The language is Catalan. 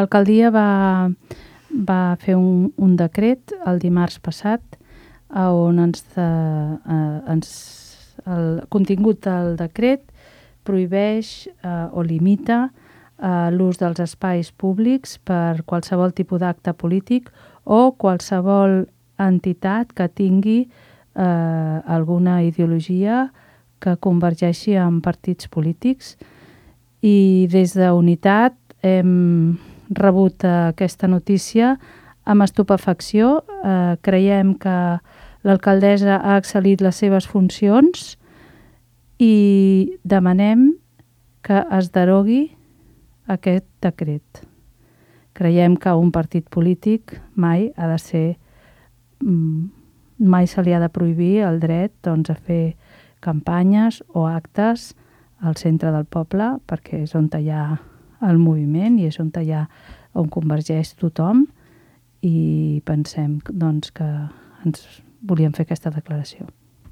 L'alcaldia va fer un decret el dimarts passat on el contingut del decret prohibeix o limita l'ús dels espais públics per qualsevol tipus d'acte polític o qualsevol entitat que tingui alguna ideologia que convergeixi amb partits polítics. I des d'Unitat hem rebut aquesta notícia amb estupefacció. Creiem que l'alcaldessa ha excel·lit les seves funcions i demanem que es derogui aquest decret. Creiem que un partit polític mai se li ha de prohibir el dret a fer campanyes o actes al centre del poble, perquè és on hi ha el moviment i és on convergeix tothom, i pensem que ens volíem fer aquesta declaració.